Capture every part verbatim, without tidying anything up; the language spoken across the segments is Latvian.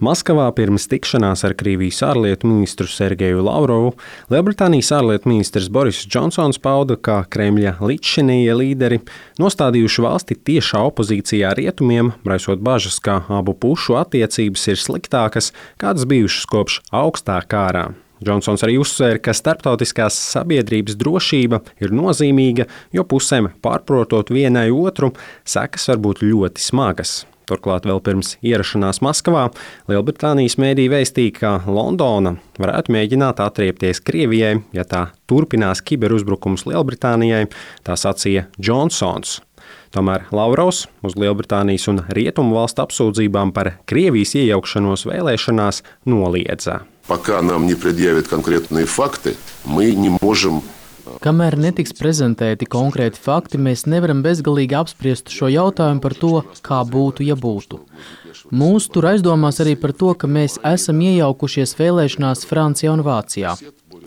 Maskavā pirms tikšanās ar Krievijas ārlietu ministru Sergeju Lavrovu Lielbritānijas ārlietu ministrs Boris Džonsons pauda, ka Kremļa līdzšinējie līderi nostādījuši valsti tiešā opozīcijā rietumiem, raisot bažas, ka abu pušu attiecības ir sliktākas, kādas bijušas kopš augstā kārā. Džonsons arī uzsvēra, ka starptautiskās sabiedrības drošība ir nozīmīga, jo pusēm pārprotot vienai otru, sekas var būt ļoti smagas. Turklāt vēl pirms ierašanās Maskavā Lielbritānijas mēdīji vēstīja, ka Londona varētu mēģināt atriepties Krievijai, ja tā turpinās kiberuzbrukums Lielbritānijai, tā sacīja Džonsons. Tomēr Lavrovs uz Lielbritānijas un Rietumu valstu apsūdzībām par Krievijas iejaukšanos vēlēšanās noliedza. Пока нам не предъявят конкретные факты, мы не можем. Kamēr netiks prezentēti konkrēti fakti, mēs nevaram bezgalīgi apspriest šo jautājumu par to, kā būtu, ja būtu. Mūs tur aizdomās arī par to, ka mēs esam iejaukušies vēlēšanās Francijā un Vācijā.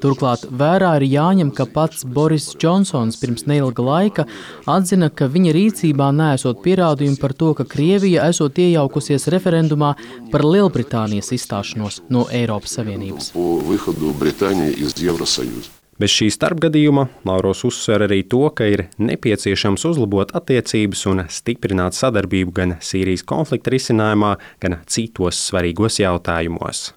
Turklāt vērā ir jāņem, ka pats Boris Džonsons pirms neilga laika atzina, ka viņa rīcībā neesot pierādījumi par to, ka Krievija esot iejaukusies referendumā par Lielbritānijas izstāšanos no Eiropas Savienības. Bez šī starpgadījuma Lavrovs uzsver arī to, ka ir nepieciešams uzlabot attiecības un stiprināt sadarbību gan Sīrijas konflikta risinājumā, gan citos svarīgos jautājumos.